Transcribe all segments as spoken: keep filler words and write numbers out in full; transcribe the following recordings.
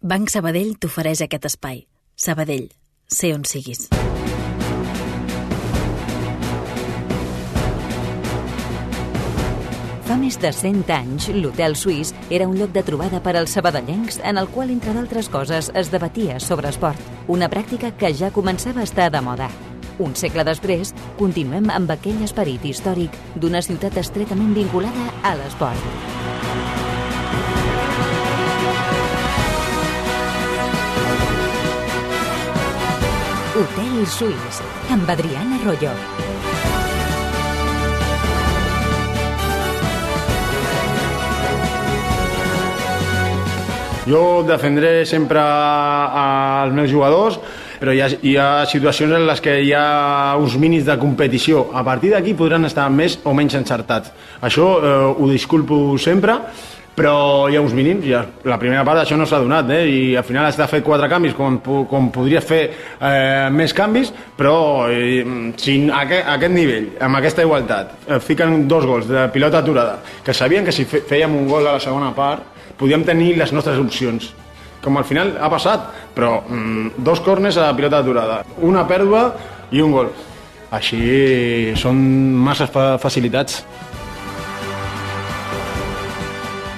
Banc Sabadell t'ofereix aquest espai. Sabadell, sé on siguis. Fa més de cent anys, l'Hotel Suís era un lloc de trobada per als sabadellencs en el qual, entre d'altres coses, es debatia sobre esport, una pràctica que ja començava a estar de moda. Un segle després, continuem amb aquell esperit històric d'una ciutat estretament vinculada a l'esport. Hotel Suís, amb Adrián Arroyo. Jo defendré sempre als meus jugadors, però hi ha, hi ha situacions en les que hi ha uns mínims de competició. A partir d'aquí podran estar més o menys encertats. Això eh, ho disculpo sempre, però hi ha uns mínims. Ja, la primera part això no s'ha donat, eh? I al final has de fer quatre canvis, com, com podries fer eh, més canvis, però eh, sin aquest, aquest nivell, amb aquesta igualtat, eh, fiquen dos gols de pilota aturada, que sabien que si fèiem un gol a la segona part podíem tenir les nostres opcions, com al final ha passat, però mm, dos corners a pilota aturada, una pèrdua i un gol. Així són massa fa facilitats.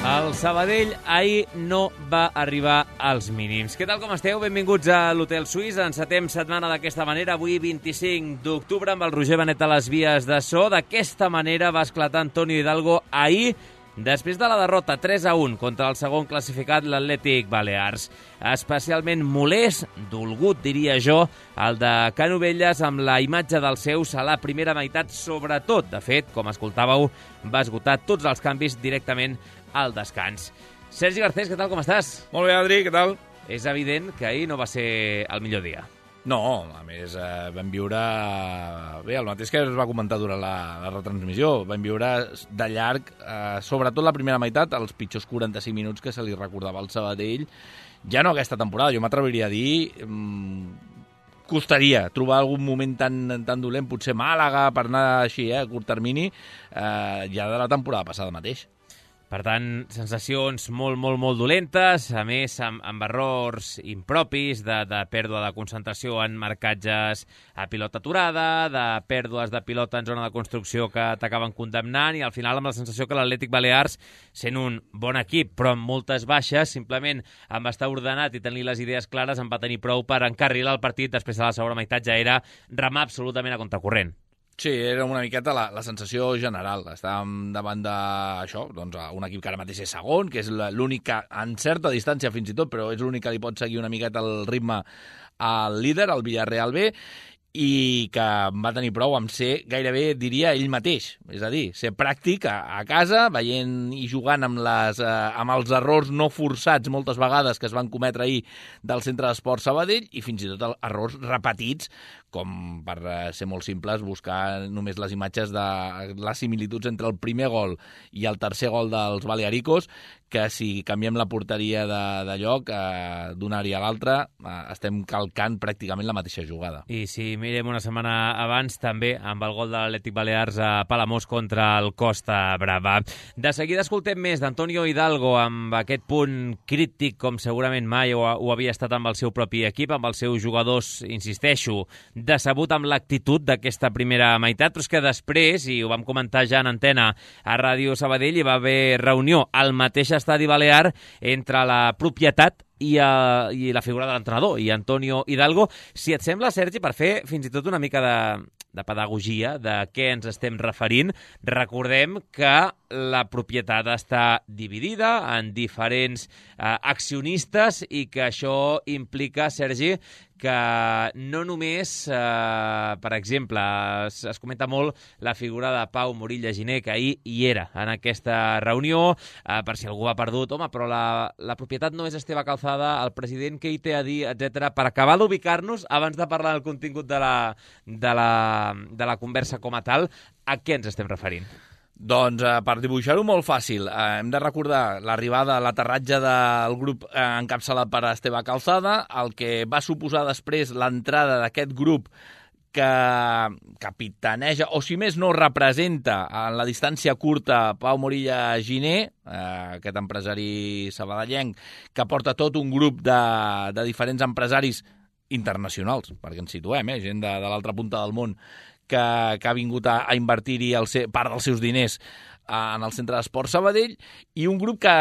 El Sabadell ahir no va arribar als mínims. Què tal, com esteu? Benvinguts a l'Hotel Suís. Encetem setmana d'aquesta manera, avui vint-i-cinc d'octubre, amb el Roger Benet a les vies de so. D'aquesta manera va esclatar Antonio Hidalgo ahir, després de la derrota tres a un contra el segon classificat, l'Atlètic Balears. Especialment molest, dolgut, diria jo, el de Canovelles amb la imatge dels seus a la primera meitat, sobretot. De fet, com escoltàveu, va esgotar tots els canvis directament al descans. Sergi Garcés, què tal, com estàs? Molt bé, Adri, què tal? És evident que ahir no va ser el millor dia. No, a més, eh, vam viure... Bé, el mateix que es va comentar durant la, la retransmissió. Vam viure de llarg, eh, sobretot la primera meitat, els pitjors quaranta-cinc minuts que se li recordava al Sabadell. Ja no aquesta temporada, jo m'atreviria a dir... Mmm, costaria trobar algun moment tan, tan dolent, potser Màlaga, per anar així, eh, a curt termini, eh, ja de la temporada passada mateix. Per tant, sensacions molt, molt, molt dolentes, a més amb, amb errors impropis de, de pèrdua de concentració en marcatges a pilota aturada, de pèrdues de pilota en zona de construcció que t'acaben condemnant, i al final amb la sensació que l'Atlètic Balears, sent un bon equip però amb moltes baixes, simplement amb estar ordenat i tenir les idees clares en va tenir prou per encarrilar el partit. Després de la segona meitat ja era remar absolutament a contracorrent. Sí, era una miqueta la, la sensació general. Estàvem davant d'això, doncs, un equip que ara mateix és segon, que és l'únic que, en certa distància fins i tot, però és l'únic que li pot seguir una miqueta el ritme al líder, el Villarreal B, i que va tenir prou amb ser, gairebé diria ell mateix, és a dir, ser pràctic a, a casa, veient i jugant amb, les, eh, amb els errors no forçats moltes vegades que es van cometre ahir del Centre d'Esport Sabadell, i fins i tot errors repetits, com per ser molt simples, buscar només les imatges de les similituds entre el primer gol i el tercer gol dels Balearicos, que si canviem la porteria de, de lloc eh, d'una àrea a l'altra, eh, estem calcant pràcticament la mateixa jugada. I si mirem una setmana abans, també amb el gol de l'Atlètic Balears a Palamós contra el Costa Brava. De seguida escoltem més d'Antonio Hidalgo amb aquest punt crític, com segurament mai ho, ho havia estat amb el seu propi equip, amb els seus jugadors, insisteixo, decebut amb l'actitud d'aquesta primera meitat, però és que després, i ho vam comentar ja en antena a Ràdio Sabadell, hi va haver reunió al mateix estadi balear entre la propietat i, a, i la figura de l'entrenador, i Antonio Hidalgo. Si et sembla, Sergi, per fer fins i tot una mica de, de pedagogia de què ens estem referint, recordem que la propietat està dividida en diferents eh, accionistes, i que això implica, Sergi, que no només, eh, per exemple, es, es comenta molt la figura de Pau Morilla Giner, que ahir hi era en aquesta reunió, eh, per si algú ha perdut, home, però la, la propietat no és Esteve Calzada, el president que hi té a dir, etcètera, per acabar d'ubicar-nos, abans de parlar del contingut de la, de la, de la conversa com a tal, a què ens estem referint? Doncs eh, per dibuixar-ho molt fàcil, eh, hem de recordar l'arribada, l'aterratge del grup eh, encapçalat per Esteve Calzada, el que va suposar després l'entrada d'aquest grup que capitaneja, o si més no representa en la distància curta Pau Morilla Giner, eh, aquest empresari sabadellenc, que porta tot un grup de, de diferents empresaris internacionals, perquè ens situem, eh, gent de, de l'altra punta del món, que, que ha vingut a, a invertir-hi el se, part dels seus diners en el Centre d'Esport Sabadell, i un grup que,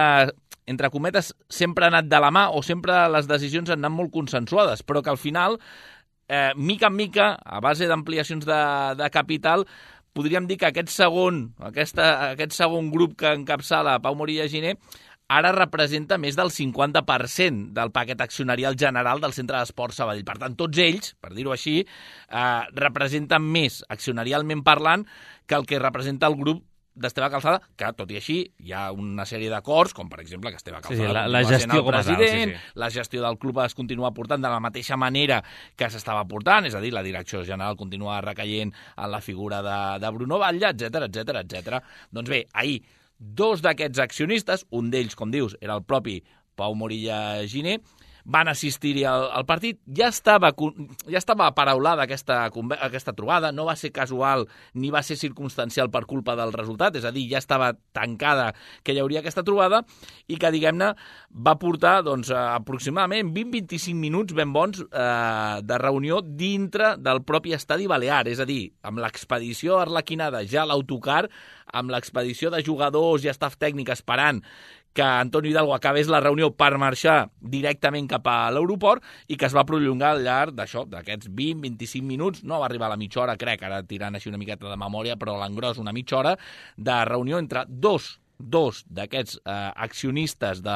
entre cometes, sempre ha anat de la mà o sempre les decisions han anat molt consensuades, però que al final, eh, mica en mica, a base d'ampliacions de, de capital, podríem dir que aquest segon, aquesta, aquest segon grup que encapçala Pau Morilla Giner ara representa més del cinquanta per cent del paquet accionarial general del Centre d'Esport Sabadell. Per tant, tots ells, per dir-ho així, eh, representen més accionarialment parlant que el que representa el grup d'Esteve Calzada, que, tot i així, hi ha una sèrie d'acords, com per exemple que Esteve Calzada sí, sí, la, la gestió el president, sí, sí. La gestió del club es continua portant de la mateixa manera que s'estava portant, és a dir, la direcció general continua recaient en la figura de, de Bruno Batlle, etcètera, etcètera, etcètera. Doncs bé, ahir, dos d'aquests accionistes, un d'ells, com dius, era el propi Pau Morilla Giner, van assistir-hi al, al partit. Ja estava, ja estava aparaulada aquesta, aquesta trobada, no va ser casual ni va ser circumstancial per culpa del resultat, és a dir, ja estava tancada que hi hauria aquesta trobada i que, diguem-ne, va portar doncs, aproximadament vint a vint-i-cinc minuts ben bons eh, de reunió dintre del propi estadi balear, és a dir, amb l'expedició arlequinada ja a l'autocar, amb l'expedició de jugadors i staff tècnic esperant que Antonio Hidalgo acabés la reunió per marxar directament cap a l'aeroport i que es va prolongar al llarg d'això, d'aquests vint a vint-i-cinc minuts, no va arribar a la mitja hora, crec, ara tirant així una miqueta de memòria, però a l'engròs una mitja hora de reunió entre dos dos d'aquests eh, accionistes, de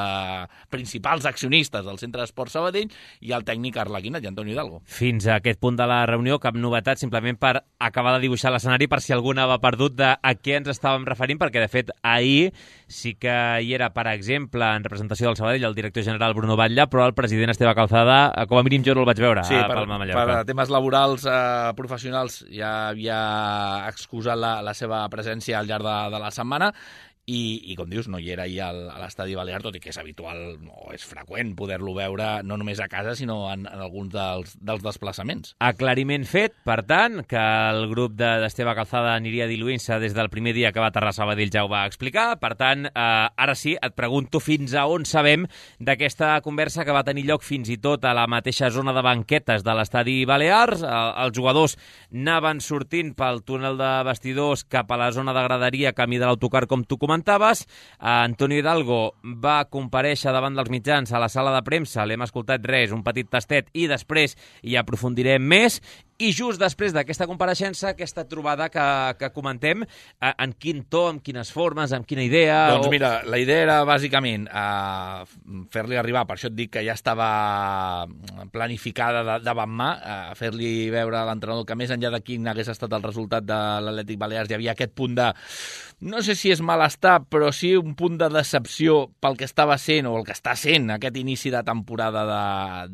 principals accionistes del Centre d'Esport Sabadell i el tècnic arlequinat, i Antonio Hidalgo. Fins a aquest punt de la reunió, cap novetat, simplement per acabar de dibuixar l'escenari, per si algú anava perdut de a què ens estàvem referint, perquè, de fet, ahir sí que hi era, per exemple, en representació del Sabadell, el director general Bruno Batlle, però el president Esteve Calzada, com a mínim jo no el vaig veure sí, a per, Palma Mallorca. Per temes laborals eh, professionals ja havia excusat la, la seva presència al llarg de, de la setmana, I, i com dius, no hi era ahir al, a l'estadi balear, tot i que és habitual o és freqüent poder-lo veure no només a casa, sinó en, en alguns dels, dels desplaçaments. Aclariment fet, per tant, que el grup d'Esteve Calzada aniria diluint-se des del primer dia que va aterrar a Sabadell, ja ho va explicar. Per tant, eh, ara sí, et pregunto fins a on sabem d'aquesta conversa que va tenir lloc fins i tot a la mateixa zona de banquetes de l'estadi Balears. Eh, els jugadors anaven sortint pel túnel de vestidors cap a la zona de graderia, camí de l'autocar, com tu comentaves. Antonio Hidalgo va comparèixer davant dels mitjans a la sala de premsa, l'hem escoltat res, un petit tastet, i després hi aprofundirem més. I just després d'aquesta compareixença, aquesta trobada que, que comentem, en quin to, en quines formes, en quina idea... Doncs o... mira, la idea era bàsicament uh, fer-li arribar, per això et dic que ja estava planificada de, davant mà, uh, fer-li veure a l'entrenador que més enllà de quin hagués estat el resultat de l'Atlètic Balears hi havia aquest punt de, no sé si és malestar, però sí un punt de decepció pel que estava sent o el que està sent aquest inici de temporada de,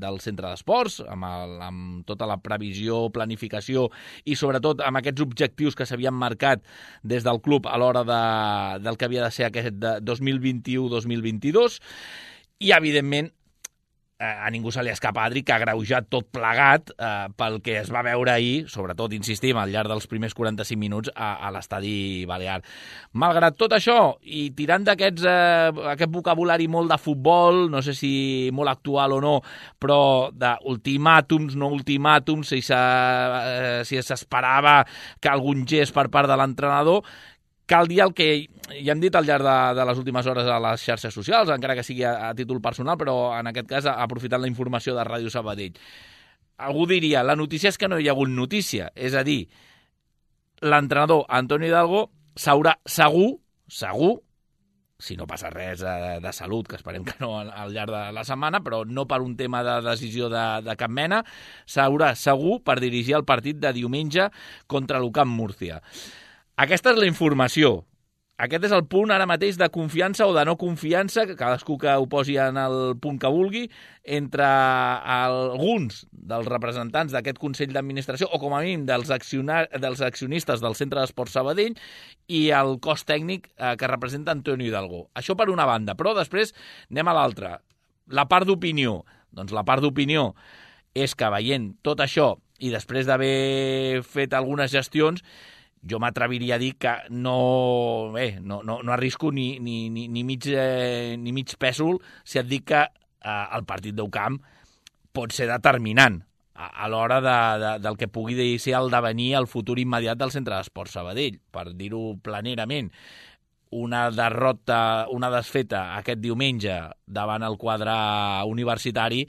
del Centre d'Esports, amb, el, amb tota la previsió, planificació i sobretot amb aquests objectius que s'havien marcat des del club a l'hora de, del que havia de ser aquest de dos mil vint-i-u dos mil vint-i-dos i evidentment a ningú se li escapa, Adri, que ha greujat tot plegat eh, pel que es va veure ahir, sobretot, insistim, al llarg dels primers quaranta-cinc minuts a, a l'estadi Balear. Malgrat tot això, i tirant d'aquests eh, aquest vocabulari molt de futbol, no sé si molt actual o no, però d'ultimàtums, no ultimàtums, si s'esperava si que algun gest per part de l'entrenador, cal dir el que ja hem dit al llarg de, de les últimes hores a les xarxes socials, encara que sigui a, a títol personal, però en aquest cas aprofitant la informació de Ràdio Sabadell. Algú diria, la notícia és que no hi ha hagut notícia, és a dir, l'entrenador Antonio Hidalgo s'haurà segur, segur, si no passa res de, de salut, que esperem que no al, al llarg de la setmana, però no per un tema de decisió de, de cap mena, s'haurà segur per dirigir el partit de diumenge contra l'U C A M Múrcia. Aquesta és la informació. Aquest és el punt ara mateix de confiança o de no confiança, que cadascú que ho posi en el punt que vulgui, entre alguns dels representants d'aquest Consell d'Administració, o com a mínim dels, accionar, dels accionistes del Centre d'Esport Sabadell i el cos tècnic eh, que representa Antonio Hidalgo. Això per una banda, però després anem a l'altra. La part d'opinió. Doncs la part d'opinió és que veient tot això i després d'haver fet algunes gestions, jo m'atreviria a dir que no, bé, no, no, no arrisco ni, ni, ni, ni, mig, eh, ni mig pèsol si et dic que eh, el partit d'Eucamp pot ser determinant a, a l'hora de, de, del que pugui ser el devenir el futur immediat del Centre d'Esports Sabadell, per dir-ho planerament. Una derrota, una desfeta aquest diumenge davant el quadre universitari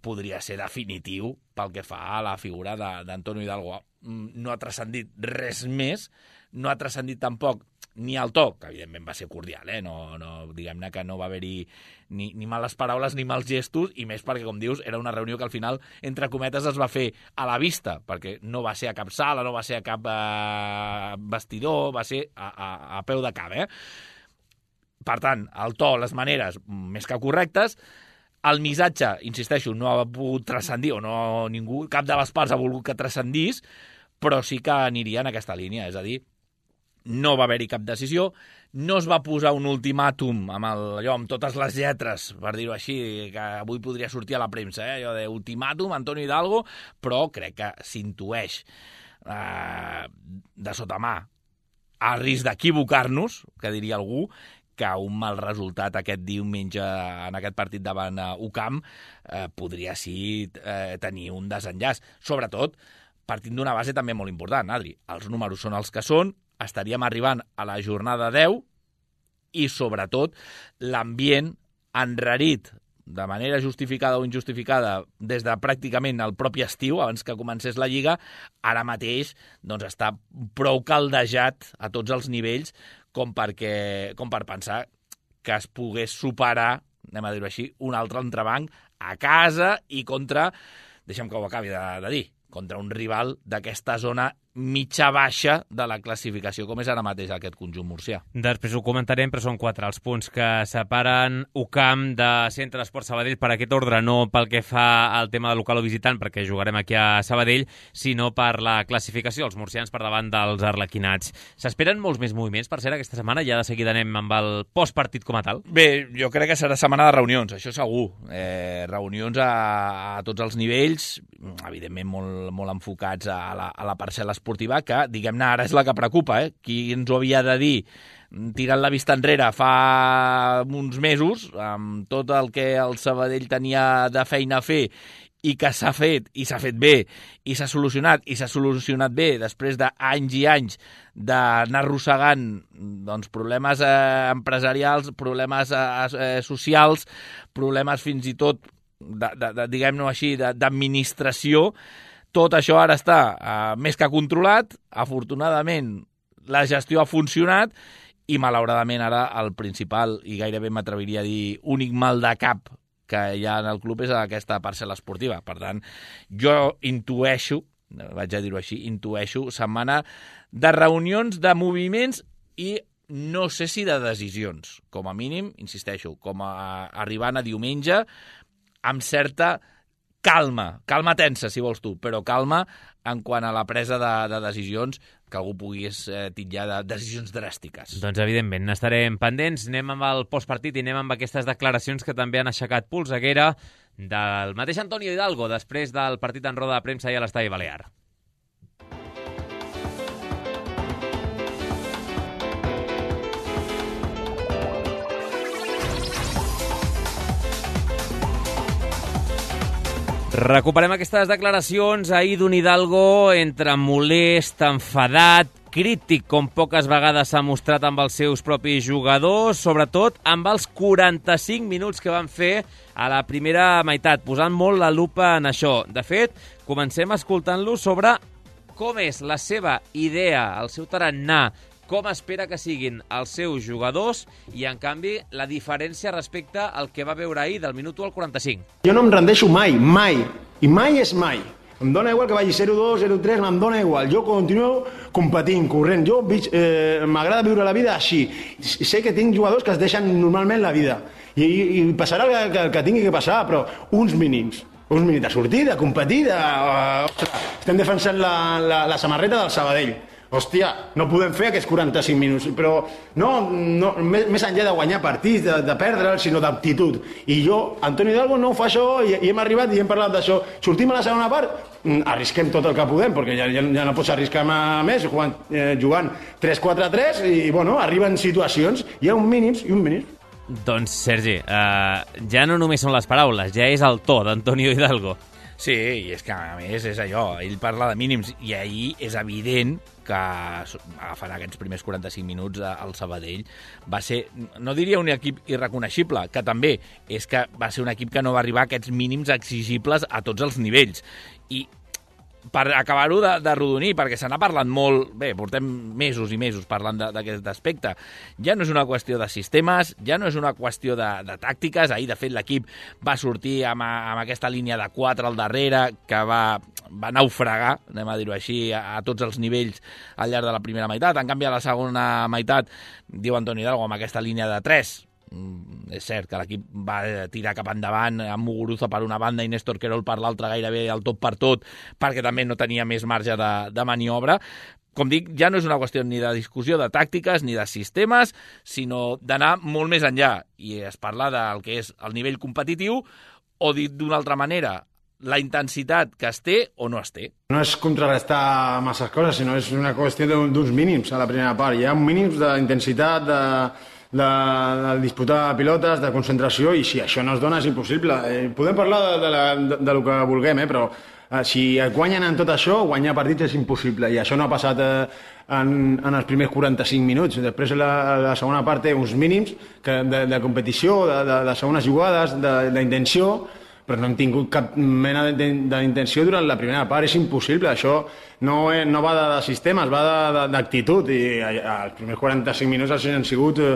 podria ser definitiu pel que fa a la figura d'Antonio Hidalgo. No ha transcendit res més, no ha transcendit tampoc ni el to, que evidentment va ser cordial, eh? no, no, diguem-ne que no va haver-hi ni, ni males paraules ni mals gestos, i més perquè, com dius, era una reunió que al final, entre cometes, es va fer a la vista, perquè no va ser a cap sala, no va ser a cap eh, vestidor, va ser a, a, a peu de cap. Eh? Per tant, el to, les maneres, més que correctes. El missatge, insisteixo, no ha pogut transcendir, o no ningú, cap de les parts ha volgut que transcendís, però sí que aniria en aquesta línia, és a dir, no va haver-hi cap decisió, no es va posar un ultimàtum amb, el, allò, amb totes les lletres, per dir-ho així, que avui podria sortir a la premsa, eh? Allò de ultimàtum, Antonio Hidalgo, però crec que s'intueix eh, de sota mà, a risc d'equivocar-nos, que diria algú, que un mal resultat aquest diumenge en aquest partit davant Ucamp eh, podria sí eh, tenir un desenllaç. Sobretot, partint d'una base també molt important, Adri. Els números són els que són, estaríem arribant a la jornada deu i, sobretot, l'ambient enrarit de manera justificada o injustificada des de pràcticament el propi estiu, abans que comencés la Lliga, ara mateix doncs, està prou caldejat a tots els nivells com, perquè, com per pensar que es pogués superar, anem a dir-ho així, un altre entrebanc a casa i contra, deixa'm que ho acabi de, de dir, contra un rival d'aquesta zona mitja-baixa de la classificació, com és ara mateix aquest conjunt murcià. Després ho comentarem, però són quatre els punts que separen Ucamp de Centre d'Esports Sabadell per aquest ordre, no pel que fa al tema de local o visitant, perquè jugarem aquí a Sabadell, sinó per la classificació, els murcians per davant dels arlequinats. S'esperen molts més moviments, per ser aquesta setmana, ja de seguida anem amb el postpartit com a tal? Bé, jo crec que serà setmana de reunions, això segur. Eh, reunions a, a tots els nivells, evidentment molt, molt enfocats a la, a la parcel·la esportiva, que, diguem-ne, ara és la que preocupa, eh? Qui ens ho havia de dir tirant la vista enrere fa uns mesos, amb tot el que el Sabadell tenia de feina a fer i que s'ha fet, i s'ha fet bé, i s'ha solucionat, i s'ha solucionat bé després d'anys i anys d'anar arrossegant doncs, problemes eh, empresarials, problemes eh, socials, problemes fins i tot, de, de, de, diguem-ne així, d'administració. Tot això ara està eh, més que controlat, afortunadament la gestió ha funcionat i malauradament ara el principal, i gairebé m'atreviria a dir únic mal de cap que hi ha en el club és aquesta parcel·la esportiva. Per tant, jo intueixo, vaig a dir-ho així, intueixo setmana de reunions, de moviments i no sé si de decisions. Com a mínim, insisteixo, com a arribant a diumenge amb certa calma, calma tensa, si vols tu, però calma en quant a la presa de, de decisions que algú pogués eh, titllar de decisions dràstiques. Doncs, evidentment, n'estarem pendents. Anem amb el postpartit i anem amb aquestes declaracions que també han aixecat polseguera del mateix Antonio Hidalgo després del partit en roda de premsa i a l'Estadi Balear. Recuperem aquestes declaracions ahir d'un Hidalgo entre molest, enfadat, crític, com poques vegades s'ha mostrat amb els seus propis jugadors, sobretot amb els quaranta-cinc minuts que van fer a la primera meitat, posant molt la lupa en això. De fet, comencem escoltant-lo sobre com és la seva idea, el seu tarannà, com espera que siguin els seus jugadors i, en canvi, la diferència respecte al que va veure ahir del minut u al quaranta-cinc. Jo no em rendeixo mai, mai, i mai és mai. Em dóna igual que vagi zero dos, zero tres, em dóna igual. Jo continuo competint, corrent. Jo eh, m'agrada viure la vida així. Sé que tinc jugadors que es deixen normalment la vida. I, i, i passarà el que, que, que tingui que passar, però uns mínims. Uns mínims de sortir, de competir, de... Uh, ostres, estem defensant la, la, la samarreta del Sabadell. hòstia, no podem fer aquests quaranta-cinc minuts, però no, no més, més enllà de guanyar partits, de, de perdre'l, sinó d'aptitud. I jo, Antonio Hidalgo, no ho fa això, i, i hem arribat i hem parlat d'això. Sortim a la segona part, arrisquem tot el que podem, perquè ja, ja, ja no pots arriscar més, jugant, eh, jugant tres quatre tres, i bueno, arriben situacions, hi ha un mínims i un mínims. Doncs, Sergi, eh, ja no només són les paraules, ja és el to d'Antonio Hidalgo. Sí, i és que, a més, és allò, ell parla de mínims, i ahir és evident que agafant aquests primers quaranta-cinc minuts al Sabadell va ser, no diria un equip irreconeixible, que també és que va ser un equip que no va arribar a aquests mínims exigibles a tots els nivells. I per acabar-ho de, de rodonir, perquè se n'ha parlat molt, bé, portem mesos i mesos parlant d'aquest aspecte, ja no és una qüestió de sistemes, ja no és una qüestió de, de tàctiques. Ahir, de fet, l'equip va sortir amb, amb aquesta línia de quatre al darrere, que va, va naufragar, anem a dir-ho així, a, a tots els nivells al llarg de la primera meitat. En canvi, a la segona meitat, diu Antoni Hidalgo, amb aquesta línia de tres, és cert que l'equip va tirar cap endavant amb Muguruza per una banda i Néstor Querol per l'altra, gairebé el tot per tot, perquè també no tenia més marge de, de maniobra. Com dic, ja no és una qüestió ni de discussió de tàctiques ni de sistemes, sinó d'anar molt més enllà, i es parla del que és el nivell competitiu, o dit d'una altra manera, la intensitat que es té o no es té. No és contrarrestar masses coses, sinó és una qüestió d'uns mínims a la primera part. Hi ha mínims d'intensitat, de De, de disputar pilotes, de concentració, i si això no es dona és impossible. Eh, podem parlar de, de, la, de, de lo que vulguem, eh, però eh, si et guanyen en tot això, guanyar partits és impossible, i això no ha passat eh, en, en els primers quaranta-cinc minuts. Després la, la segona part té uns mínims que, de, de competició, de, de, de segones jugades, d'intenció, però no hem tingut cap mena d'intenció durant la primera part. És impossible, això no, no va de, de sistemes, va d'actitud, i els primers quaranta-cinc minuts han sigut eh,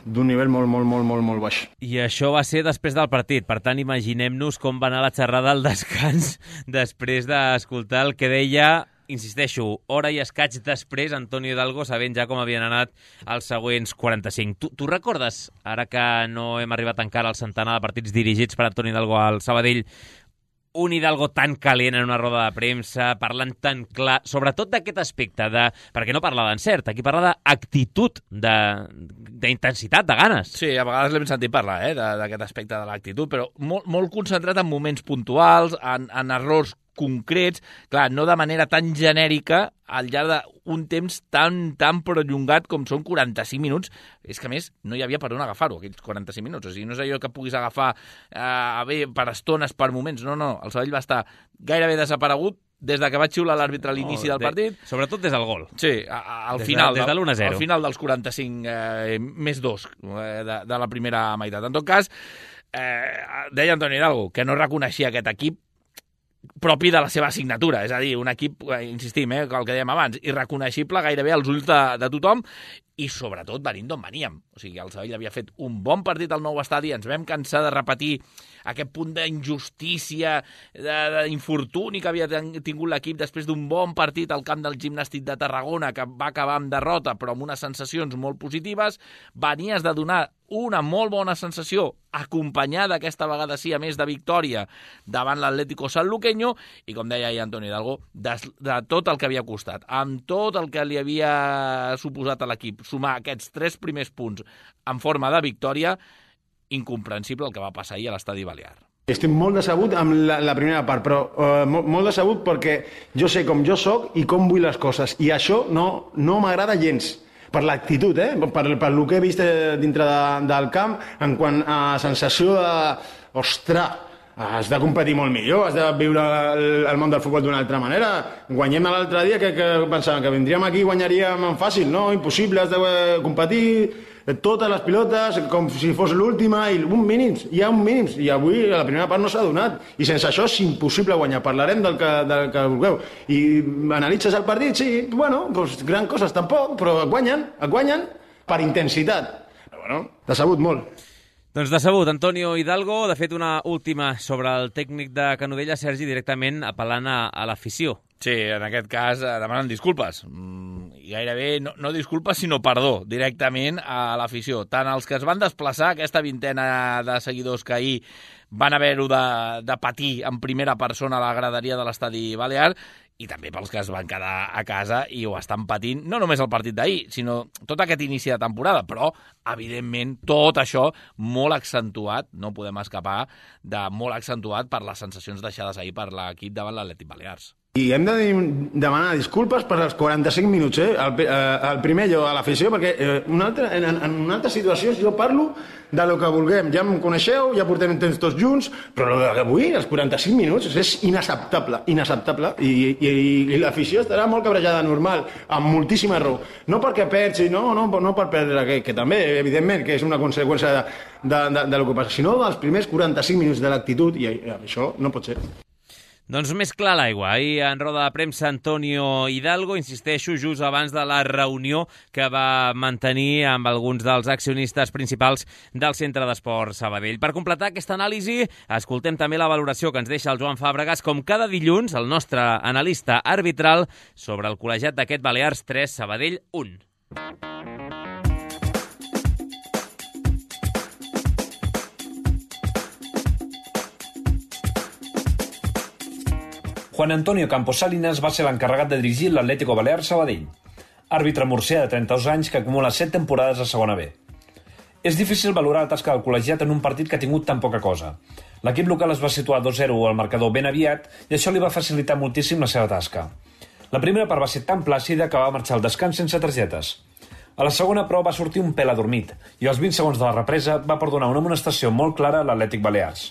d'un nivell molt, molt, molt, molt, molt baix. I això va ser després del partit, per tant imaginem-nos com va anar la xerrada al descans després d'escoltar el que deia, insisteixo, hora i escaig després, Antonio Hidalgo, sabent ja com havien anat els següents quaranta-cinc. Tu, tu recordes, ara que no hem arribat encara al centenar de partits dirigits per Antonio Hidalgo al Sabadell, un Hidalgo tan calent en una roda de premsa, parlant tan clar, sobretot d'aquest aspecte, de, perquè no parla d'encert, aquí parla d'actitud, d'intensitat, de, de ganes. Sí, a vegades l'hem sentit parlar, eh, d'aquest aspecte de l'actitud, però molt, molt concentrat en moments puntuals, en, en errors concrets, clar, no de manera tan genèrica al llarg d'un temps tan, tan prolongat com són quaranta-cinc minuts. És que, a més, no hi havia per on agafar-ho, aquells quaranta-cinc minuts. O sigui, no és allò que puguis agafar eh, bé, per estones, per moments. No, no, el Sabadell va estar gairebé desaparegut des de que va xiular l'àrbitre a l'inici oh, del partit. De, sobretot des del gol. Sí, a, a, al des final. De, des de l'u a zero. Al final dels quaranta-cinc eh, més dos eh, de, de la primera meitat. En tot cas, eh, deia Antoni Hidalgo que no reconeixia aquest equip propi de la seva assignatura, és a dir, un equip, insistim, eh, el que dèiem abans, irreconeixible gairebé als ulls de, de tothom, i sobretot venint d'on veníem. O sigui, el Sabadell havia fet un bon partit al nou estadi, ens vam cansar de repetir aquest punt d'injustícia, d'infortuni que havia tingut l'equip després d'un bon partit al camp del Gimnàstic de Tarragona, que va acabar amb derrota, però amb unes sensacions molt positives. Venies de donar una molt bona sensació, acompanyada aquesta vegada sí, a més de victòria, davant l'Atlético Sanluqueño, i com deia ahir Antoni Hidalgo, de, de tot el que havia costat, amb tot el que li havia suposat a l'equip, sumar aquests tres primers punts en forma de victòria, incomprensible el que va passar ahir a l'Estadi Balear. Estic molt decebut amb la, la primera part, però uh, molt, molt decebut perquè jo sé com jo sóc i com vull les coses, i això no, no m'agrada gens. Per l'actitud, eh? per, per el que he vist dintre de, del camp, en quant a sensació de... Ostres, has de competir molt millor, has de viure el, el món del futbol d'una altra manera. Guanyem l'altre dia, que, que pensàvem que vindríem aquí i guanyaríem fàcil, no? Impossible, has de competir totes les pilotes com si fos l'última, i un mínims, hi ha un mínims, i avui a la primera part no s'ha donat, i sense això és impossible guanyar. Parlarem del que, del que vulgueu, i analitzes el partit, sí, bueno, doncs gran coses tampoc, però et guanyen, et guanyen per intensitat. Però bueno, decebut molt. Doncs decebut, Antonio Hidalgo. De fet, una última sobre el tècnic de Canovella, Sergi, directament apel·lant a, a l'afició. Sí, en aquest cas eh, demanen disculpes. Mm, i gairebé no, no disculpes, sinó perdó, directament a l'afició. Tant els que es van desplaçar, aquesta vintena de seguidors que ahir van haver-ho de, de patir en primera persona a la graderia de l'Estadi Balear, i també pels que es van quedar a casa i ho estan patint, no només el partit d'ahir, sinó tot aquest inici de temporada, però, evidentment, tot això molt accentuat, no podem escapar de molt accentuat per les sensacions deixades ahir per l'equip davant l'Atlètic Balears. I hem de demanar disculpes per els quaranta-cinc minuts, eh? El, eh, el primer jo a l'afició, perquè eh, una altra, en, en una altra situació jo parlo de lo que vulguem. Ja em coneixeu, ja portem temps tots junts, però avui, els quaranta-cinc minuts, és inacceptable, inacceptable, i, i, i l'afició estarà molt cabrejada, normal, amb moltíssima raó. No perquè perds, no, no, no per perdre, que, que també, evidentment, que és una conseqüència de, de, de, de lo que passa, sinó dels primers quaranta-cinc minuts de l'actitud, i això no pot ser. Doncs més clar l'aigua. Ahir en roda de premsa Antonio Hidalgo, insisteixo, just abans de la reunió que va mantenir amb alguns dels accionistes principals del Centre d'Esport Sabadell. Per completar aquesta anàlisi, escoltem també la valoració que ens deixa el Joan Fàbregas, com cada dilluns, el nostre analista arbitral sobre el col·legiat d'aquest Balears tres, Sabadell un. Juan Antonio Campos Salinas va ser l'encarregat de dirigir l'Atlético Balears Sabadell, àrbitre murcià de trenta-dos anys que acumula set temporades a segona B. És difícil valorar la tasca del col·legiat en un partit que ha tingut tan poca cosa. L'equip local es va situar dos zero al marcador ben aviat i això li va facilitar moltíssim la seva tasca. La primera part va ser tan plàcida que va marxar al descans sense targetes. A la segona, però, va sortir un pèl adormit i als vint segons de la represa va perdonar una amonestació molt clara a l'Atlètic Balears.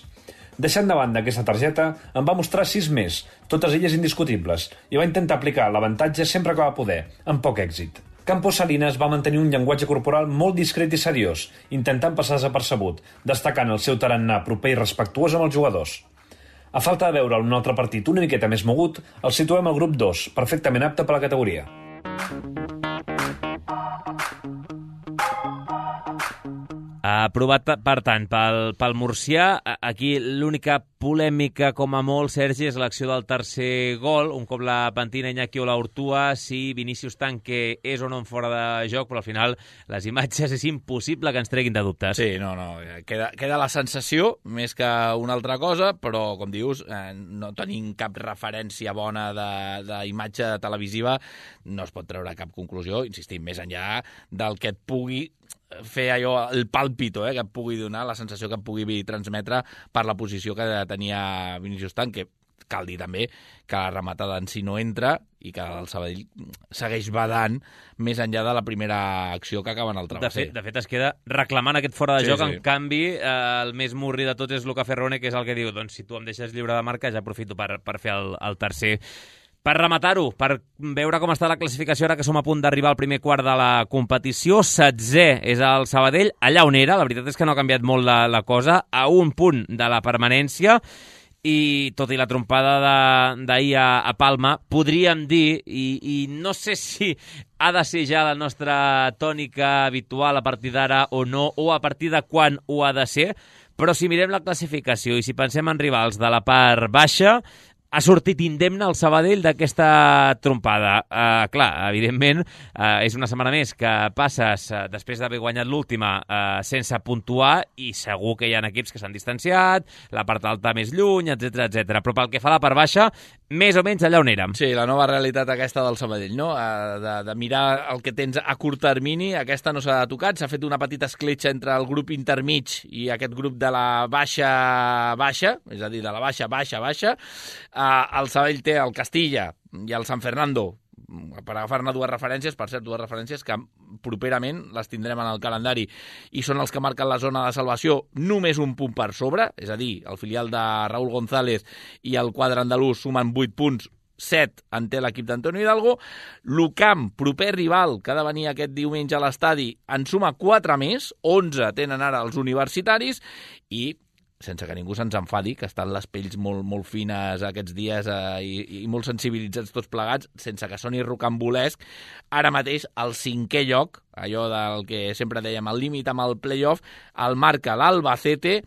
Deixant de banda aquesta targeta, en va mostrar sis més, totes elles indiscutibles, i va intentar aplicar l'avantatge sempre que va poder, amb poc èxit. Campos Salinas va mantenir un llenguatge corporal molt discret i seriós, intentant passar desapercebut, destacant el seu tarannà proper i respectuós amb els jugadors. A falta de veure un altre partit una miqueta més mogut, el situem al grup dos, perfectament apte per la categoria. Aprovat, per tant, pel, pel murcià. Aquí l'única polèmica, com a molt, Sergi, és l'acció del tercer gol. Un cop la pentina Iñaki Olaortua, si Vinícius Tanque és o no en fora de joc, però al final les imatges és impossible que ens treguin de dubtes. Sí, no, no, queda, queda la sensació més que una altra cosa, però, com dius, eh, no tenim cap referència bona d'imatge televisiva, no es pot treure cap conclusió, insistim, més enllà del que et pugui fer allò, el pàlpito, eh, que et pugui donar, la sensació que et pugui transmetre per la posició que tenia Vinícius Tanque. Cal dir també que la rematada en si no entra i que el Sabadell segueix badant més enllà de la primera acció que acaba en el travesser. De fet, de fet, es queda reclamant aquest fora de sí, joc, sí. En canvi, eh, el més murri de tot és Luca Ferrone, que és el que diu, doncs si tu em deixes lliure de marca, ja aprofito per, per fer el, el tercer. Per rematar-ho, per veure com està la classificació ara que som a punt d'arribar al primer quart de la competició, setzè és el Sabadell, allà on era, la veritat és que no ha canviat molt la, la cosa, a un punt de la permanència, i tot i la trompada d'ahir a, a Palma, podríem dir, i, i no sé si ha de ser ja la nostra tònica habitual a partir d'ara o no, o a partir de quan ho ha de ser, però si mirem la classificació i si pensem en rivals de la part baixa, ha sortit indemne el Sabadell d'aquesta trompada. Uh, clar, evidentment, uh, és una setmana més que passes, uh, després d'haver guanyat l'última, uh, sense puntuar, i segur que hi ha equips que s'han distanciat, la part alta més lluny, etcètera, etcètera. Però pel que fa a la part baixa, més o menys allà on érem. Sí, la nova realitat aquesta del Sabadell, no? Uh, de, de mirar el que tens a curt termini, aquesta no s'ha tocat, s'ha fet una petita escletxa entre el grup intermig i aquest grup de la baixa baixa, és a dir, de la baixa, baixa, baixa. Uh, el Sabadell té el Castilla i el San Fernando, per agafar-ne dues referències, per cert, dues referències que properament les tindrem en el calendari i són els que marquen la zona de salvació només un punt per sobre, és a dir, el filial de Raúl González i el quadre andalús sumen vuit punts, set en té l'equip d'Antonio Hidalgo. L'Ucamp, proper rival, que ha de venir aquest diumenge a l'estadi, en suma quatre més, onze tenen ara els universitaris, i sense que ningú se'ns enfadi, que estan les pells molt, molt fines aquests dies eh, i, i molt sensibilitzats tots plegats, sense que soni rocambolesc, ara mateix el cinquè lloc, allò del que sempre dèiem, el límit amb el play-off, el marca l'Albacete,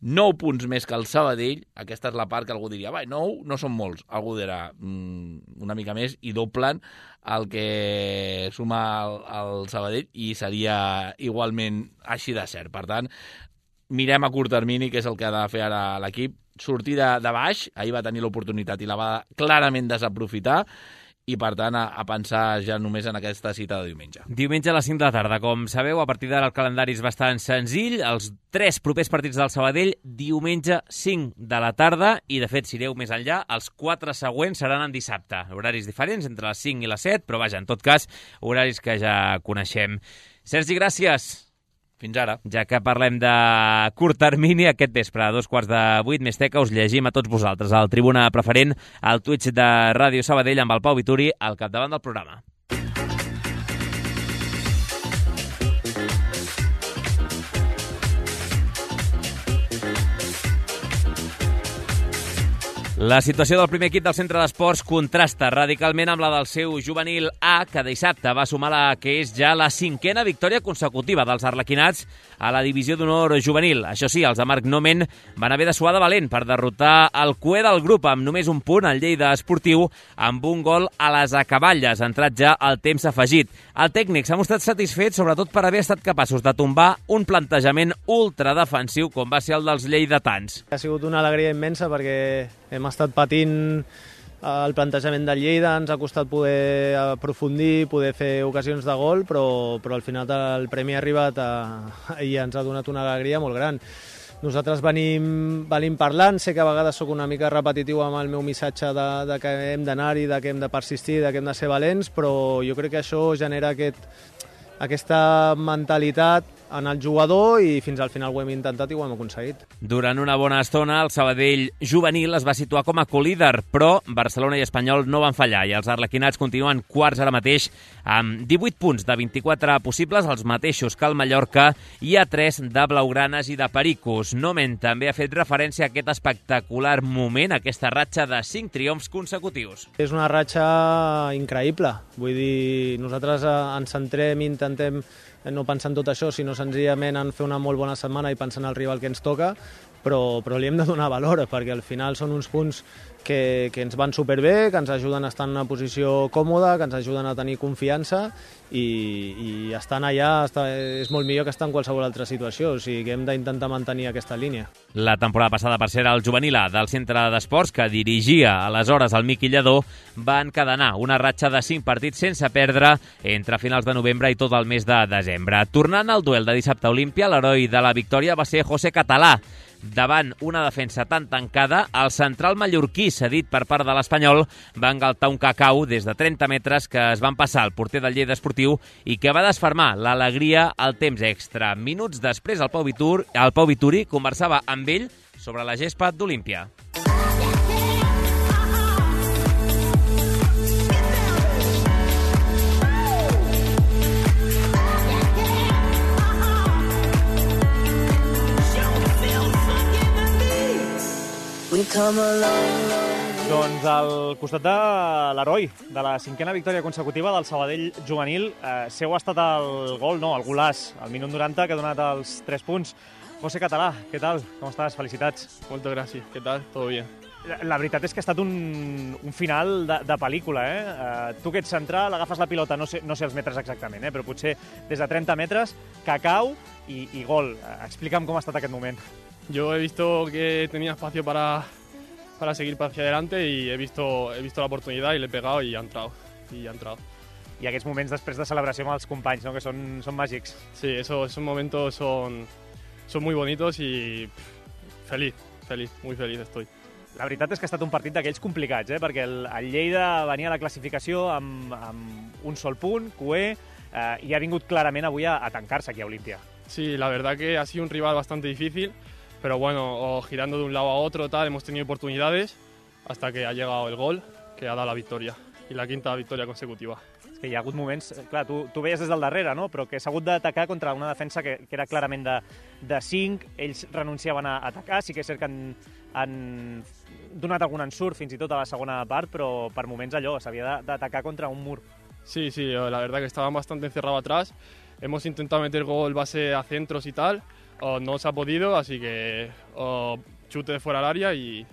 nou punts més que el Sabadell. Aquesta és la part que algú diria, va, nou no són molts, algú dirà mm, una mica més i doblen el que suma el, el Sabadell i seria igualment així de cert. Per tant, mirem a curt termini, que és el que ha de fer ara l'equip, sortir de, de baix, ahir va tenir l'oportunitat i la va clarament desaprofitar, i, per tant, a, a pensar ja només en aquesta cita de diumenge. Diumenge a les cinc de la tarda. Com sabeu, a partir d'ara el calendari és bastant senzill. Els tres propers partits del Sabadell, diumenge cinc de la tarda, i, de fet, si ireu més enllà, els quatre següents seran en dissabte. Horaris diferents, entre les cinc i les set, però, vaja, en tot cas, horaris que ja coneixem. Sergi, gràcies. Fins ara. Ja que parlem de curt termini, aquest vespre, a dos quarts de vuit, més teca, us llegim a tots vosaltres al Tribuna Preferent, al Twitch de Ràdio Sabadell, amb el Pau Vituri al capdavant del programa. La situació del primer equip del centre d'esports contrasta radicalment amb la del seu juvenil A, que dissabte va sumar la que és ja la cinquena victòria consecutiva dels arlequinats a la divisió d'honor juvenil. Això sí, els de Marc Nomen van haver de suar de valent per derrotar el cué del grup amb només un punt, el Lleida Esportiu, amb un gol a les acaballes, entrat ja al temps afegit. El tècnic s'ha mostrat satisfet, sobretot per haver estat capaços de tombar un plantejament ultradefensiu com va ser el dels lleidatans. Ha sigut una alegria immensa perquè hem estat patint el plantejament del Lleida, ens ha costat poder aprofundir, poder fer ocasions de gol, però, però al final el premi ha arribat a, i ens ha donat una alegria molt gran. Nosaltres venim, venim parlant, sé que a vegades sóc una mica repetitiu amb el meu missatge de, de que hem d'anar-hi, de que hem de persistir, de que hem de ser valents, però jo crec que això genera aquest, aquesta mentalitat en el jugador i fins al final ho hem intentat i ho hem aconseguit. Durant una bona estona, el Sabadell juvenil es va situar com a colíder, però Barcelona i Espanyol no van fallar i els arlequinats continuen quarts ara mateix amb divuit punts de vint-i-quatre possibles, els mateixos que el Mallorca, i a tres de blaugranes i de pericos. Nomen també ha fet referència a aquest espectacular moment, aquesta ratxa de cinc triomfs consecutius. És una ratxa increïble, vull dir, nosaltres ens centrem i intentem no pensar en tot això, sinó senzillament en fer una molt bona setmana i pensar en el rival que ens toca, però, però li hem de donar valor, perquè al final són uns punts que, que ens van superbé, que ens ajuden a estar en una posició còmoda, que ens ajuden a tenir confiança i, i estant allà està, és molt millor que estar en qualsevol altra situació, o sigui que hem d'intentar mantenir aquesta línia. La temporada passada, per ser el juvenil A del centre d'esports, que dirigia aleshores el Miqui Lledó, va encadenar una ratxa de cinc partits sense perdre entre finals de novembre i tot el mes de desembre. Tornant al duel de dissabte a Olímpia, l'heroi de la victòria va ser José Català. Davant una defensa tan tancada, el central mallorquí, cedit per part de l'Espanyol, va engaltar un cacau des de trenta metres que es van passar al porter del Lleida Esportiu i que va desfermar l'alegria al temps extra. Minuts després, el Pau Vituri, el Pau Vituri conversava amb ell sobre la gespa d'Olímpia. Doncs al costat de l'heroi de la cinquena victòria consecutiva del Sabadell juvenil, eh, seu ha estat el gol, no, el golaç, al minut noranta, que ha donat els tres punts. José Català, què tal? Com estàs? Felicitats. Moltes gràcies. Què tal? Todo bien. La, la veritat és que ha estat un, un final de, de pel·lícula, eh? eh? Tu que ets central, agafes la pilota, no sé, no sé els metres exactament, eh? Però potser des de trenta metres, cacau i, i gol. Explica'm com ha estat aquest moment. Yo he visto que tenía espacio para, para seguir hacia adelante y he visto, he visto la oportunidad y le he pegado y ha entrado. Y ha entrado. I aquests moments després de celebració amb els companys, no? Que són, són màgics. Sí, eso, esos momentos son, son muy bonitos y pff, feliz, feliz, muy feliz estoy. La veritat és que ha estat un partit d'aquells complicats, eh? Perquè el, el Lleida venia a la classificació amb, amb un sol punt, cué, eh, i ha vingut clarament avui a, a tancar-se aquí a Olímpia. Sí, la verdad que ha sido un rival bastante difícil, pero bueno, girando de un lado a otro, tal, hemos tenido oportunidades hasta que ha llegado el gol, que ha dado la victoria, y la quinta victoria consecutiva. És que hi ha hagut moments, clar, tu, tu veies des del darrere, no? Però que s'ha hagut d'atacar contra una defensa que, que era clarament de, de cinc, ells renunciaven a atacar, sí que és cert que han, han donat algun ensurt fins i tot a la segona part, però per moments allò, s'havia d'atacar contra un mur. Sí, sí, la verdad que estaban bastante encerrados atrás, hemos intentado meter gol base a centros y tal, o no se ha podido, así que o chute de fuera al área y,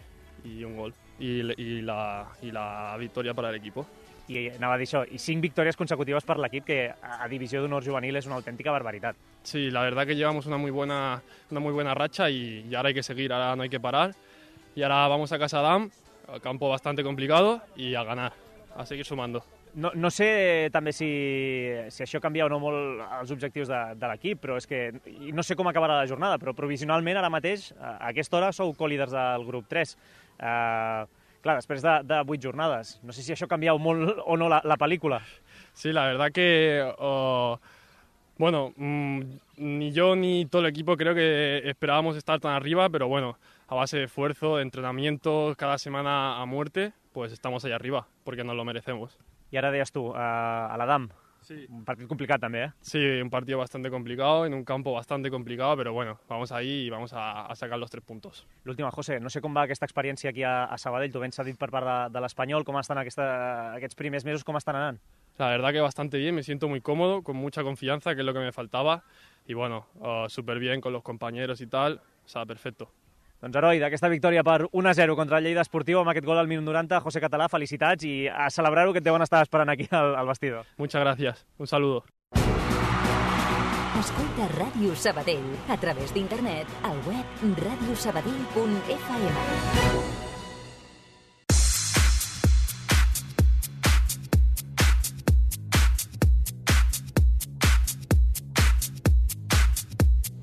y un gol. Y, y, la, y la victoria para el equipo. I anava a dir això, i cinc victòries consecutives per l'equip, que a divisió d'honor juvenil és una autèntica barbaritat. Sí, la verdad que llevamos una muy buena, una muy buena racha y, y ahora hay que seguir, ahora no hay que parar. y ahora vamos a Casadam, campo bastante complicado, y a ganar, a seguir sumando. No, no sé també si, si això canvia o no molt els objectius de, de l'equip, però és que i no sé com acabarà la jornada, però provisionalment ara mateix, a aquesta hora, sou co-líders del grup tres. Uh, clar, després de, de vuit jornades. No sé si això ha canviat molt o no la, la pel·lícula. Sí, la verdad que, uh, bueno, mmm, ni yo ni todo el equipo creo que esperábamos estar tan arriba, pero bueno, a base de esfuerzo, de entrenamiento, cada semana a muerte, pues estamos ahí arriba, porque nos lo merecemos. I ara deies tu, a l'Adam, sí. Un partit complicat també, eh? Sí, un partido bastante complicado, en un campo bastante complicado, pero bueno, vamos ahí y vamos a, a sacar los tres puntos. L'última, José, no sé com va aquesta experiència aquí a, a Sabadell, tu ben cedit per part de, de l'Espanyol, com estan aquesta, aquests primers mesos, com estan anant? La verdad que bastante bien, me siento muy cómodo, con mucha confianza, que es lo que me faltaba, y bueno, uh, súper bien con los compañeros y tal, o sea, perfecto. Doncs, heroi, d'aquesta victòria per un a zero contra el Lleida Esportiu, amb aquest gol al minut noranta, José Català, felicitats i a celebrar-ho, que et deuen estar esperant aquí al, al vestidor. Muchas gracias, un saludo. Escolta Ràdio Sabadell a través d'internet al web radio sabadell punt f m.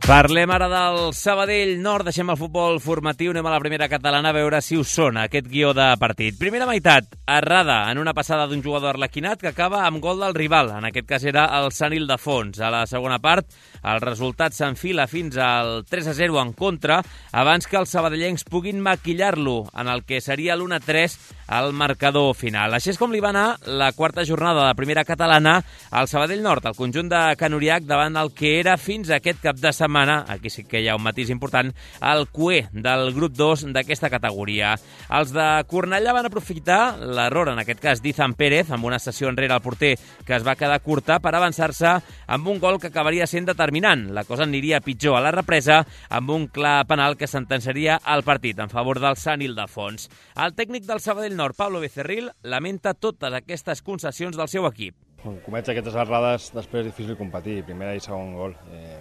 Parlem ara del Sabadell Nord, deixem el futbol formatiu, anem a la primera catalana a veure si us sona aquest guió de partit. Primera meitat, errada en una passada d'un jugador arlequinat que acaba amb gol del rival, en aquest cas era el Sant Ildefons. A la segona part, el resultat s'enfila fins al tres a zero en contra, abans que els sabadellencs puguin maquillar-lo en el que seria l'u a tres al marcador final. Així és com li va anar la quarta jornada de la primera catalana al Sabadell Nord, el conjunt de Can Uriach davant el que era fins aquest cap de setmana, aquí sí que hi ha un matís important, el cué del grup dos d'aquesta categoria. Els de Cornellà van aprofitar l'error, en aquest cas d'Izan Pérez, amb una sessió enrere al porter que es va quedar curta per avançar-se amb un gol que acabaria sent determinant. La cosa aniria pitjor a la represa amb un clar penal que sentenciaria el partit en favor del Sant Ildefons. El tècnic del Sabadell Nord, Pablo Becerril, lamenta totes aquestes concessions del seu equip. Quan comets aquestes errades, després és difícil competir, primer i segon gol. Eh,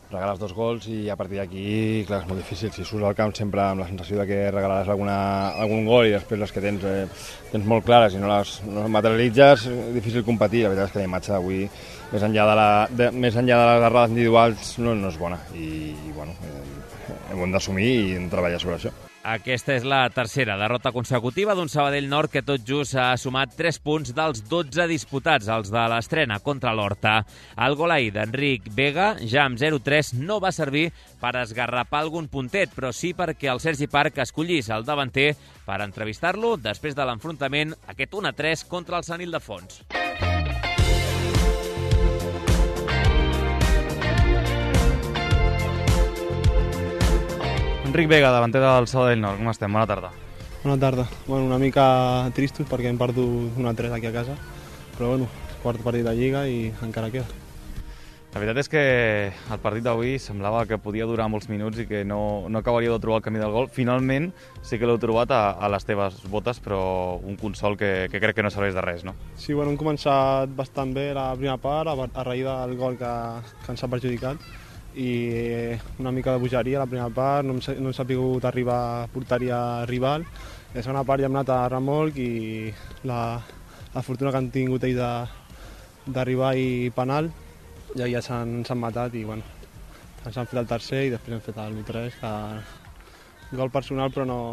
regales dos gols i a partir d'aquí, clar, és molt difícil. Si surts al camp sempre amb la sensació de que regalaràs alguna, algun gol i després les que tens, eh, tens molt clares i no les, no les materialitzes, és difícil competir. La veritat és que la imatge d'avui, més enllà de, la, de, més enllà de les errades individuals, no, no és bona. I, i bueno, eh, ho hem d'assumir i hem de treballar sobre això. Aquesta és la tercera derrota consecutiva d'un Sabadell Nord que tot just ha sumat tres punts dels dotze disputats, els de l'estrena contra l'Horta. El gol ahir d'Enric Vega, ja amb zero tres, no va servir per esgarrapar algun puntet, però sí perquè el Sergi Parc escollís el davanter per entrevistar-lo després de l'enfrontament, aquest u a tres contra el Sant Ildefons. Enric Vega, davanter del Sabadell Nord, com estem? Bona tarda. Bona tarda. Bueno, una mica tristos perquè hem perdut un a tres aquí a casa, però bueno, quart partit de Lliga i encara queda. La veritat és que el partit d'avui semblava que podia durar molts minuts i que no, no acabaria de trobar el camí del gol. Finalment sí que l'heu trobat a, a les teves botes, però un consol que, que crec que no serveix de res, no? Sí, bueno, hem començat bastant bé la primera part, a, a raïs del gol que, que ens ha perjudicat, i una mica de bogeria a la primera part, no hem, no hem sapigut arribar a porteria rival. La segona part ja hem anat a remolc i la, la fortuna que han tingut ells d'arribar i penal, ja, ja s'han matat i bueno, ens han fet el tercer i després hem fet el u a tres, que gol personal però no,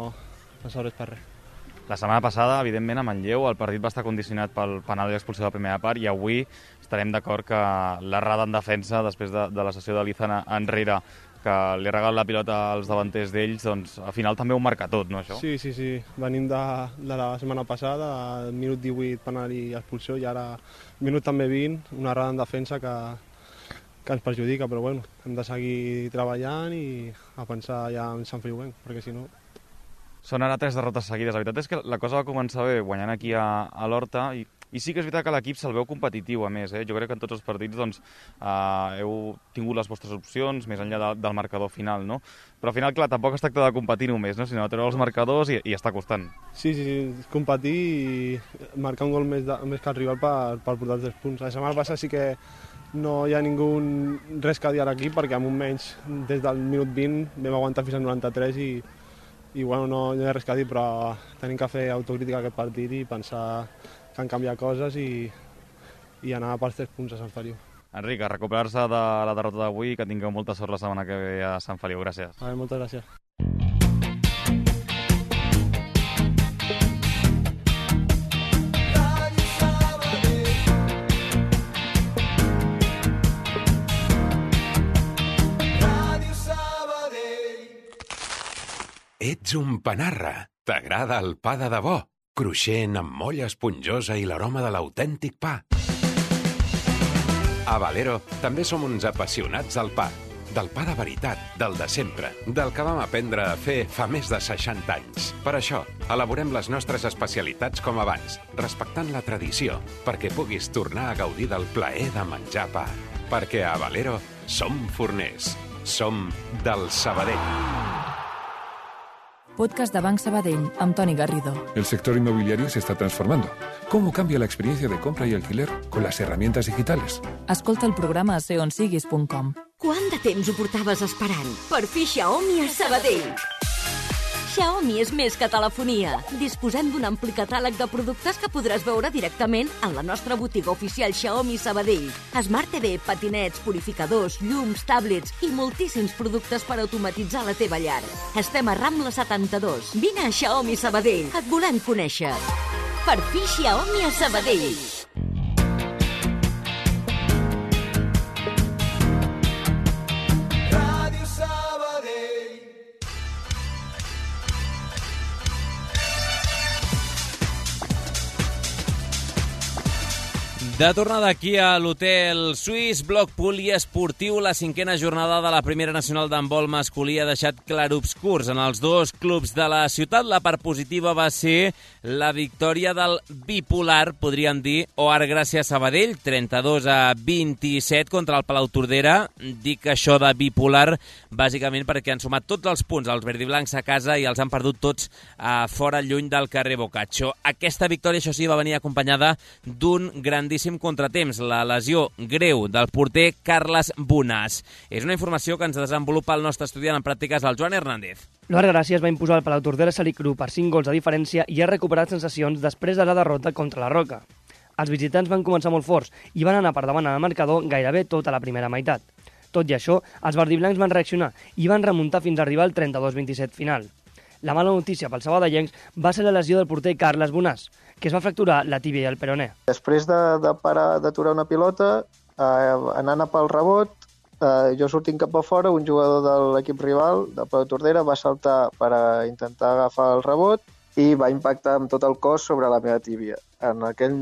no serveix per res. La setmana passada, evidentment, a Manlleu el partit va estar condicionat pel penal i l'expulsió de la primera part i avui estarem d'acord que l'errada en defensa, després de, de la sessió de l'Izan enrere, que li ha regalat la pilota als davanters d'ells, doncs al final també ho marca tot, no, això? Sí, sí, sí. Venim de, de la setmana passada, al minut divuit penal i expulsió, i ara minut també vint, una errada en defensa que, que ens perjudica, però bueno, hem de seguir treballant i a pensar ja en Sant Feliu, perquè si no... Són ara tres derrotes seguides. La veritat és que la cosa va començar bé guanyant aquí a, a l'Horta i, i sí que és veritat que l'equip se'l veu competitiu, a més. Eh? Jo crec que en tots els partits doncs, eh, heu tingut les vostres opcions, més enllà de, del marcador final, no? Però al final, clar, tampoc es tracta de competir només, no? Sinó de treure els marcadors i, i està costant. Sí, sí, sí, competir i marcar un gol més, de, més que el rival per, per portar els tres punts. La setmana passada sí que no hi ha ningú res que dir a l'equip perquè amb un menys des del minut vint vam aguantar fins al noranta-tres i i bueno, no, no hi ha res que dir, però tenim que fer autocrítica aquest partit i pensar que han canviat coses i, i anar pels tres punts a Sant Feliu. Enric, a recuperar-se de la derrota d'avui, que tingueu molta sort la setmana que ve a Sant Feliu. Gràcies. A veure, moltes gràcies. Ets un panarra. T'agrada el pa de debò? Cruixent, amb molla esponjosa i l'aroma de l'autèntic pa. A Valero també som uns apassionats del pa. Del pa de veritat, del de sempre, del que vam aprendre a fer fa més de seixanta anys. Per això, elaborem les nostres especialitats com abans, respectant la tradició, perquè puguis tornar a gaudir del plaer de menjar pa. Perquè a Valero som forners. Som del Sabadell. Podcast de Banc Sabadell, amb Toni Garrido. El sector inmobiliario se está transformando. ¿Cómo cambia la experiencia de compra y alquiler con las herramientas digitales? Escolta el programa a ser on siguis punt com. Quant de temps ho portaves esperant per fer Xiaomi a Sabadell? Xiaomi és més que telefonia. Disposem d'un ampli catàleg de productes que podràs veure directament en la nostra botiga oficial Xiaomi Sabadell. Smart T V, patinets, purificadors, llums, tablets i moltíssims productes per automatitzar la teva llar. Estem a Rambla setanta-dos. Vine a Xiaomi Sabadell. Et volem conèixer. Per fi Xiaomi a Sabadell. De tornada aquí a l'Hotel Suís, bloc poliesportiu, la cinquena jornada de la primera nacional d'handbol masculí ha deixat clarobscurs en els dos clubs de la ciutat. La part positiva va ser la victòria del bipolar, podríem dir, O Art Gràcia Sabadell, trenta-dos a vint-i-set contra el Palau Tordera. Dic això de bipolar bàsicament perquè han sumat tots els punts als verdiblancs a casa i els han perdut tots a fora, lluny del carrer Boccaccio. Aquesta victòria, això sí, va venir acompanyada d'un grandíssim contratemps, la lesió greu del porter Carles Bonàs. És una informació que ens desenvolupa el nostre estudiant en pràctiques, el Joan Hernández. L'O Art Gràcia es va imposar al Palau Tordera Salicru per cinc gols de diferència i ha recuperat sensacions després de la derrota contra la Roca. Els visitants van començar molt forts i van anar per davant al marcador gairebé tota la primera meitat. Tot i això, els verdiblancs van reaccionar i van remuntar fins a arribar al trenta-dos vint-i-set final. La mala notícia pels sabadellencs va ser la lesió del porter Carles Bonàs, que es va fracturar la tíbia i el peroné. Després de, de parar d'aturar una pilota, eh, anant a pel rebot, eh, jo sortint cap a fora, un jugador de l'equip rival, de Palau Tordera, va saltar per a intentar agafar el rebot i va impactar amb tot el cos sobre la meva tíbia. En aquell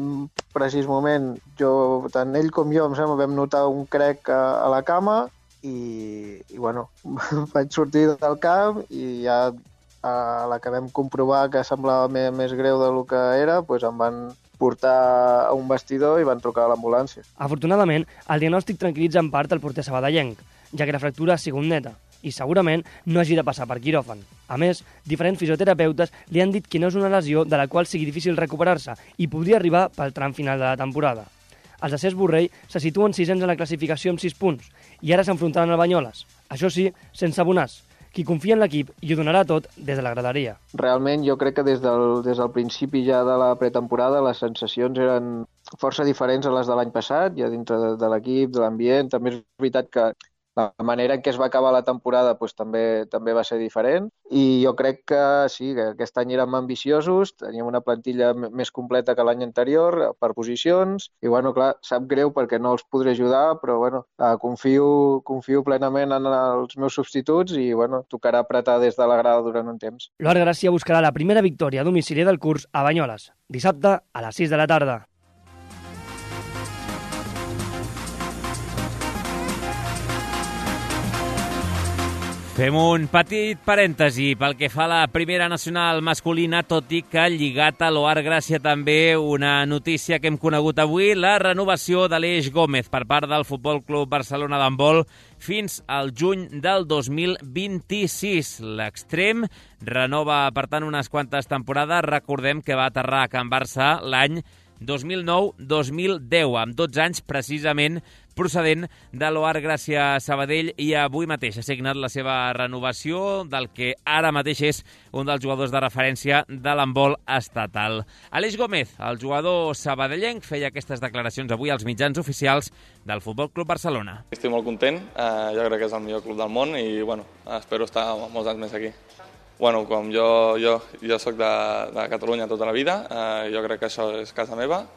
precís moment, jo, tant ell com jo, em sembla, vam notar un crec a, a la cama i, i bueno, vaig sortir del camp i ja a la que vam comprovar que semblava més, més greu del que era, doncs em van portar a un vestidor i van trucar a l'ambulància. Afortunadament, el diagnòstic tranquil·litza en part el porter sabadellenc, ja que la fractura ha sigut neta i segurament no hagi de passar per quiròfan. A més, diferents fisioterapeutes li han dit que no és una lesió de la qual sigui difícil recuperar-se i podria arribar pel tram final de la temporada. Els de Cesc Borrell se situen sisens en la classificació amb sis punts i ara s'enfrontaran al Banyoles. Això sí, sense Bonàs, qui confia en l'equip i ho donarà tot des de la graderia. Realment jo crec que des del, des del principi ja de la pretemporada les sensacions eren força diferents a les de l'any passat, ja dintre de, de l'equip, de l'ambient. També és veritat que la manera en què es va acabar la temporada doncs, també també va ser diferent i jo crec que sí, que aquest any érem ambiciosos, teníem una plantilla més completa que l'any anterior per posicions i, bueno, clar, sap greu perquè no els podré ajudar, però, bueno, confio, confio plenament en els meus substituts i, bueno, tocarà apretar des de la grada durant un temps. L'O Art Gràcia buscarà la primera victòria a domicili del curs a Banyoles, dissabte a les sis de la tarda. Fem un petit parèntesi pel que fa a la primera nacional masculina, tot i que lligat a l'O Art Gràcia també una notícia que hem conegut avui, la renovació d'Aleix Gómez per part del Futbol Club Barcelona d'handbol fins al juny del dos mil vint-i-sis. L'extrem renova, per tant, unes quantes temporades. Recordem que va aterrar a Can Barça l'any dos mil nou dos mil deu, amb dotze anys precisament procedent de l'O A R Gràcia Sabadell i avui mateix ha signat la seva renovació del que ara mateix és un dels jugadors de referència de l'handbol estatal. Aleix Gómez, el jugador sabadellenc, feia aquestes declaracions avui als mitjans oficials del Futbol Club Barcelona. Estic molt content, eh, jo crec que és el millor club del món i bueno, espero estar molts anys més aquí. Bueno, com jo, jo, jo soc de, de Catalunya tota la vida, eh, jo crec que això és casa meva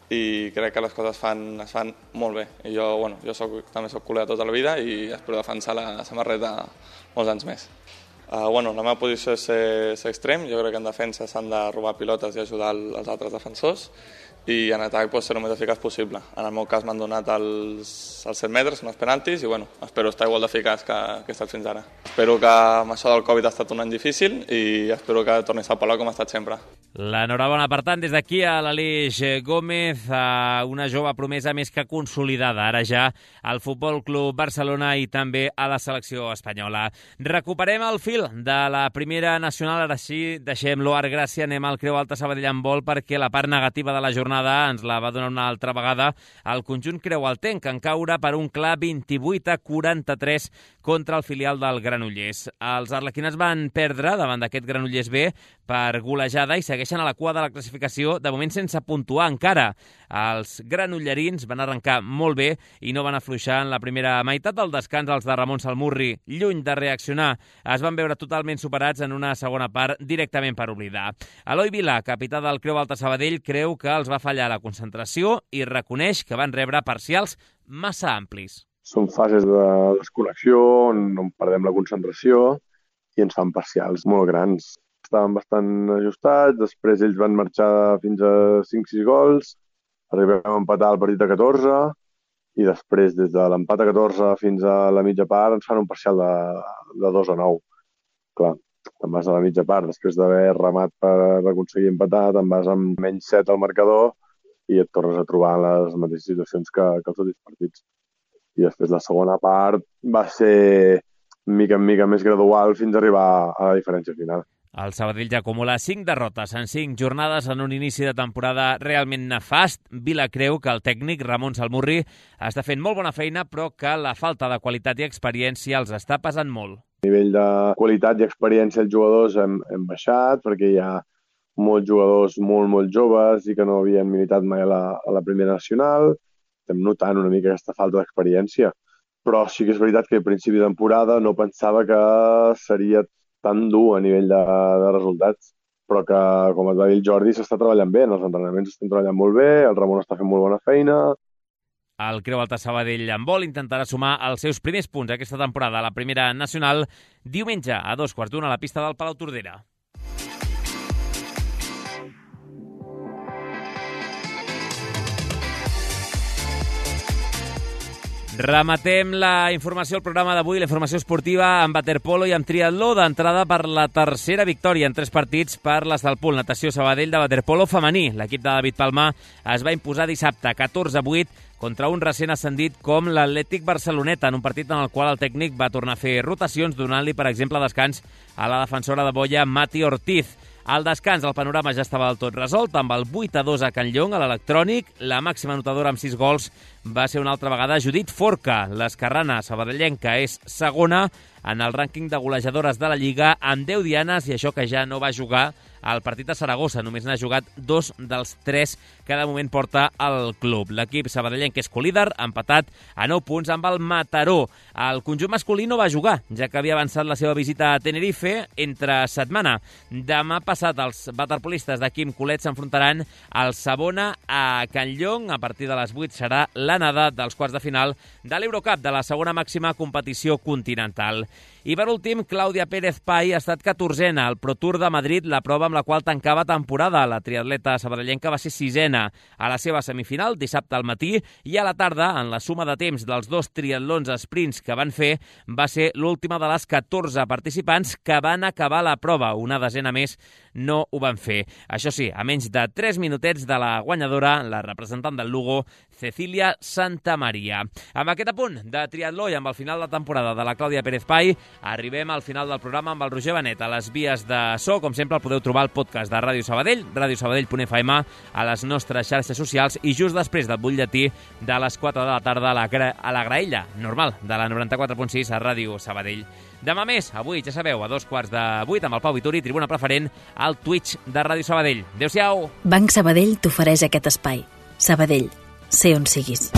i crec que les coses fan, es fan molt bé. I jo, bueno, jo soc, també soc culer tota la vida i espero defensar la samarreta molts anys més. Uh, bueno, la meva posició és ser, ser extrem, jo crec que en defensa s'han de robar pilotes i ajudar els altres defensors i en atac pues, ser el més eficaç possible. En el meu cas m'han donat els, els set metres, són els penaltis, i bueno, espero estar igual d'eficaç que, que he estat fins ara. Espero que amb això del Covid ha estat un any difícil i espero que torni a estar Palau com ha estat sempre. L'enhorabona, per tant, des d'aquí a l'Aleix Gómez, a una jove promesa més que consolidada, ara ja al Futbol Club Barcelona i també a la selecció espanyola. Recuperem el fil de la primera nacional, ara sí, deixem l'O A R Gràcia, anem al Creu Alta Sabadell Handbol perquè la part negativa de la jornada ens la va donar una altra vegada el conjunt creualtenc, en caure per un clar vint-i-vuit a quaranta-tres contra el filial del Granollers. Els arlequinats van perdre davant d'aquest Granollers B per golejada i segueixen a la cua de la classificació, de moment sense puntuar encara. Els granollerins van arrencar molt bé i no van afluixar en la primera meitat del descans. Els de Ramon Salmurri, lluny de reaccionar, es van veure totalment superats en una segona part directament per oblidar. Eloi Vila, capità del Creu Alta Sabadell, creu que els va fallar la concentració i reconeix que van rebre parcials massa amplis. Són fases de desconnexió on, on perdem la concentració i ens fan parcials molt grans. Estaven bastant ajustats, després ells van marxar fins a cinc sis gols, arribem a empatar el partit a catorze i després des de l'empat a catorze fins a la mitja part ens fan un parcial de, de dos a nou. Clar, te'n vas a la mitja part, després d'haver remat per aconseguir empatar, te'n vas amb menys set al marcador i et tornes a trobar en les mateixes situacions que, que els últims partits. I després la segona part va ser mica en mica més gradual fins a arribar a la diferència final. El Sabadell ja acumula cinc derrotes en cinc jornades en un inici de temporada realment nefast. Vila creu que el tècnic Ramon Salmurri està fent molt bona feina, però que la falta de qualitat i experiència els està pesant molt. A nivell de qualitat i experiència els jugadors hem, hem baixat perquè hi ha molts jugadors molt, molt joves i que no havien militat mai a la, a la primera nacional. Estem notant una mica aquesta falta d'experiència. Però sí que és veritat que a principi de temporada no pensava que seria tan dur a nivell de, de resultats, però que, com et va dir el Jordi, s'està treballant bé, els entrenaments estan treballant molt bé, el Ramon està fent molt bona feina. El Creu Alta Sabadell Handbol intentarà sumar els seus primers punts aquesta temporada a la primera nacional diumenge a dos quarts d'una a la pista del Palau Tordera. Rematem la informació al programa d'avui, la informació esportiva amb waterpolo i amb triatló, d'entrada per la tercera victòria en tres partits per les del Pool Natació Sabadell de waterpolo femení. L'equip de David Palmar es va imposar dissabte catorze a vuit contra un recent ascendit com l'Atlètic Barceloneta, en un partit en el qual el tècnic va tornar a fer rotacions, donant-li, per exemple, descans a la defensora de boia Mati Ortiz. Al descans, el panorama ja estava del tot resolt, amb el vuit a dos a Can Llong, a l'electrònic. La màxima anotadora amb sis gols va ser una altra vegada Judit Forca. L'esquerrana sabadellenca és segona en el rànquing de golejadores de la Lliga amb deu dianes, i això que ja no va jugar al partit a Saragossa. Només n'ha jugat dos dels tres que de moment porta el club. L'equip sabadellenc és colíder, empatat a nou punts amb el Mataró. El conjunt masculí no va jugar, ja que havia avançat la seva visita a Tenerife entre setmana. Demà passat els waterpolistes de Quim Colet s'enfrontaran al Savona a Can Llong. A partir de les vuit serà l'anada dels quarts de final de l'Eurocup, de la segona màxima competició continental. I per últim, Clàudia Pérez Pai ha estat catorzena al Pro Tour de Madrid, la prova amb la qual tancava temporada. La triatleta sabadellenca va ser sisena a la seva semifinal dissabte al matí, i a la tarda, en la suma de temps dels dos triatlons sprints que van fer, va ser l'última de les catorze participants que van acabar la prova, una desena més no ho van fer. Això sí, a menys de tres minutets de la guanyadora, la representant del Lugo, Cecília Santamaria. Amb aquest apunt de triatló i amb el final de temporada de la Clàudia Pérez Pai, arribem al final del programa amb el Roger Benet. A les vies de so, com sempre, el podeu trobar al podcast de Ràdio Sabadell, radiosabadell punt f m, a les nostres xarxes socials i just després del butlletí de les quatre de la tarda a la, a la graella normal de la noranta-quatre punt sis a Ràdio Sabadell. Demà més, avui, ja sabeu, a dos quarts de vuit amb el Pau Vituri, tribuna preferent, al Twitch de Ràdio Sabadell. Adéu-siau! Banc Sabadell t'ofereix aquest espai. Sabadell, sé on siguis.